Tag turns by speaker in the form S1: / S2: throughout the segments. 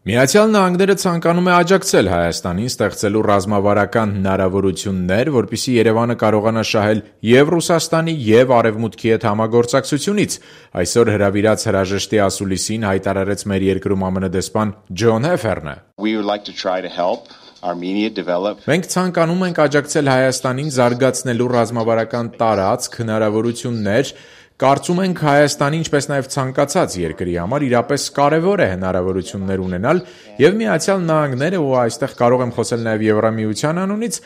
S1: Միացյալ Նահանգները ցանկանում է աջակցել Հայաստանին ստեղծելու ռազմավարական հնարավորություններ, որպեսզի Երևանը կարողանա շահել և Ռուսաստանի, և Արևմուտքի հետ համագործակցությունից, այսօր հրավիրած հրաժեշտի ասուլիսին հայտարարեց մեր երկրում ԱՄՆ դեսպան Ջոն Հեֆերնը: Մենք ցանկանում ենք աջակցել Հայաստանին զարգացնելու ռազմավարական տարածք, հնարավորություններ: Կարծում ենք Հայաստանի, ինչպես նաև ցանկացած երկրի համար իրապես կարևոր է հնարավորություններ ունենալ, և Միացյալ Նահանգները, ու այստեղ կարող եմ խոսել նաև Եվրամիության անունից,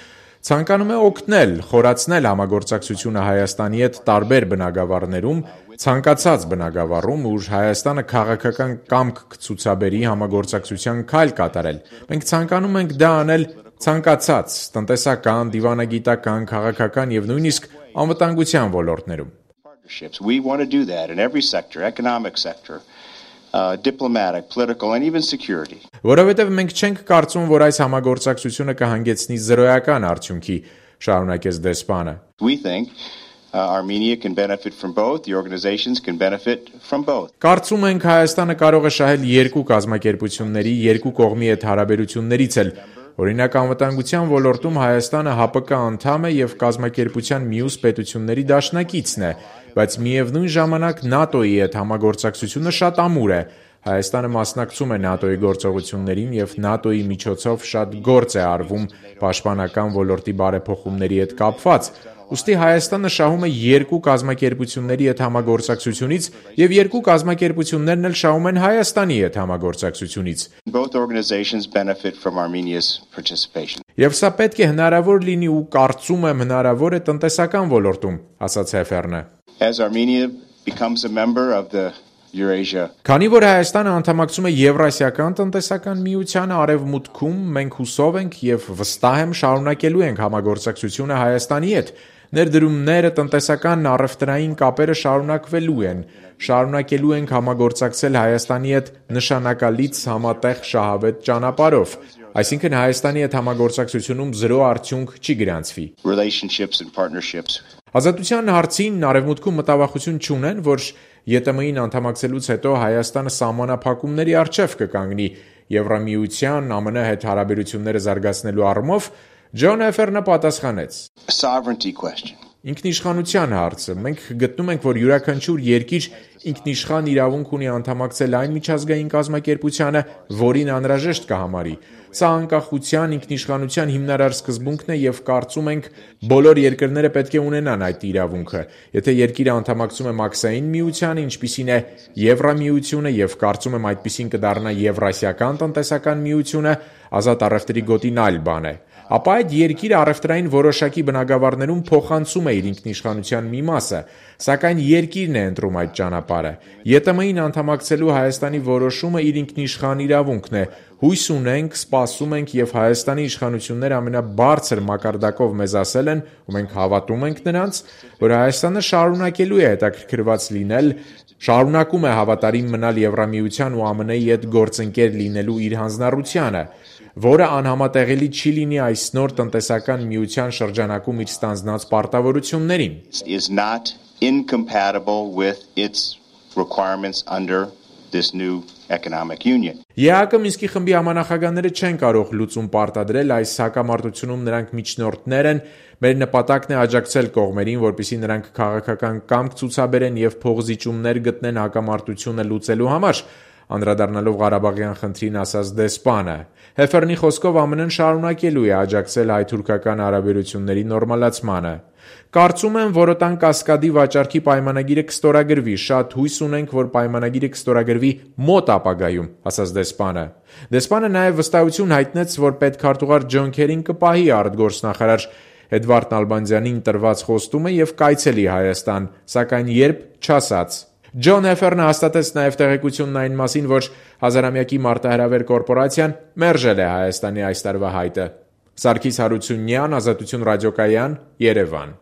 S1: ցանկանում է օգնել խորացնել համագործակցությունը Հայաստանի հետ տարբեր բնագավառներում, ցանկացած բնագավառում, ուր Հայաստանը քաղաքական կամք կցուցաբերի համագործակցության քայլ կատարել: Մենք ցանկանում ենք դա անել ցանկացած տնտեսական, դիվանագիտական, քաղաքական և նույնիսկ անվտանգության ոլորտներում: Որովհետև մենք չենք կարծում, որ այս համագործակցությունը կհանգեցնի զրոյական արդյունքի, շարունակեց դեսպանը: Կարծում ենք Հայաստանը կարող է շահել երկու կազմակերպությունների, երկու կողմի հետ հարաբերություններից էլ: Օրինակ անվտանգության ոլորտում Հայաստանը ՀԱՊԿ անդամ է և կազմակերպության մյուս պետությունների դաշնակիցն է, բայց միևնույն ժամանակ ՆԱՏՕ-ի հետ համագործակցությունը շատ ամուր է: Հայաստանը մասնակցում է ՆԱՏՕ-ի գործողություններին և ՆԱՏՕ-ի միջոցով շատ գործ է արվում պաշտպանական ոլորտի բարեփոխումների հետ կապված: Ուստի Հայաստանը շահում է երկու կազմակերպությունների հետ համագործակցությունից և երկու կազմակերպություններն էլ շահում են Հայաստանի հետ համագործակցությունից: Եվ սա պետք է հնարավոր լինի ու կարծում եմ հնարավոր է տնտեսական ոլորտում, ասաց Հեֆերնը: Քանի որ Հայաստանը անդամակցում է Եվրասիական տնտեսական միությանը, Արևմուտքում, մենք հուսով ենք և վստահ եմ շարունակելու ենք համագործակցությունը Հայաստանի հետ: Ներդրումները, տնտեսական, առևտրային կապերը շարունակվելու են: Շարունակելու ենք համագործակցել Հայաստանի հետ նշանակալից, համատեղ, շահավետ ճանապարհով: Այսինքն Հայաստանի հետ համագործակցությունում զրո արդյունք չի գրանցվի: Ազատության հարցին Արևմուտքում մտավախություն չունեն, որ ԵՏՄ-ին անդամակցելուց հետո Հայաստանը սահմանափակումների առջև կկանգնի Եվրամիության, ԱՄՆ հետ հարաբերությունները զարգացնելու առումով, Ջոն Հեֆերնը պատասխանեց. Ինքնիշխանության հարցը: Մենք գտնում ենք, որ յուրաքանչյուր երկիր ինքնիշխան իրավունք ունի անդամակցել այն միջազգային կազմակերպությանը, որին անհրաժեշտ կհամարի: Սա անկախության, ինքնիշխանության հիմնարար սկզբունքն է և կարծում ենք բոլոր երկրները պետք է ունենան այդ իրավունքը: Եթե երկիրը անդամակցում է Մաքսային միությանը, ինչպիսին է Եվրամիությունը, և կարծում եմ այդպիսին կդառնա Եվրասիական տնտեսական միությունը, ազատ առևտրի գոտին այլ բան է: Ապա այդ երկիրը առևտրային որոշակի բնագավառներում փոխանցում է իր ինքնիշխանության մի մասը: Սակայն երկիրն է ընտրում այդ ճանապարհը: ԵՏՄ-ին անդամակցելու Հայաստանի որոշումը իր ինքնիշխան իրավունքն է: Հույս ունենք, սպասում ենք և Հայաստանի իշխանությունները ամենաբարձր մակարդակով մեզ ասել են, ու մենք հավատում ենք նրանց, որ Հայաստանը շարունակելու է հետաքրքրված լինել, շարունակում է հավատարիմ մնալ Եվրամիության ու ԱՄՆ-ի հետ գործընկեր լինելու իր հանձնառությանը, որը անհամատեղելի չի լինի այս նոր տնտեսական միության շրջանակում իր ստանձնած պարտավորություններին: ԵԱՀԿ Մինսկի խմբի համանախագահները չեն կարող լուծում պարտադրել: Այս հակամարտությունում նրանք միջնորդներ են: Մեր նպատակն է աջակցել կողմերին, որպեսզի նրանք քաղաքական կամք ցուցաբերեն և փոխզիջումներ գտնեն հակամարտությունը լուծելու համար, անդրադառնալով Ղարաբաղյան խնդրին, ասաց դեսպանը: Հեֆերնի խոսքով ԱՄՆ-ն շարունակելու է աջակցել հայ-թուրքական հարաբերությունների նորմալացմանը: Կարծում եմ Որոտան կասկադի վաճառքի պայմանագիրը կստորագրվի: Շատ հույս ունենք, որ պայմանագիրը կստորագրվի մոտ ապագայում, ասաց դեսպանը: Դեսպանը նաև վստահություն հայտնեց, որ պետքարտուղար Ջոն Քերին կպահի արտգործնախարար Էդվարդ Նալբանդյանին տրված խոստումը և կայցելի Հայաստան, սակայն երբ, չասաց: Ջոն Հեֆերնը հաստատեց նաև տեղեկությունն այն մասին, որ 1000-ամյակի մարտահրավեր կորպորացիան մերժել է Հայաստանի այս տարվա հայտը: Սարգիս Հարությունյան, Ազատություն ռադիոկայան, Երևան: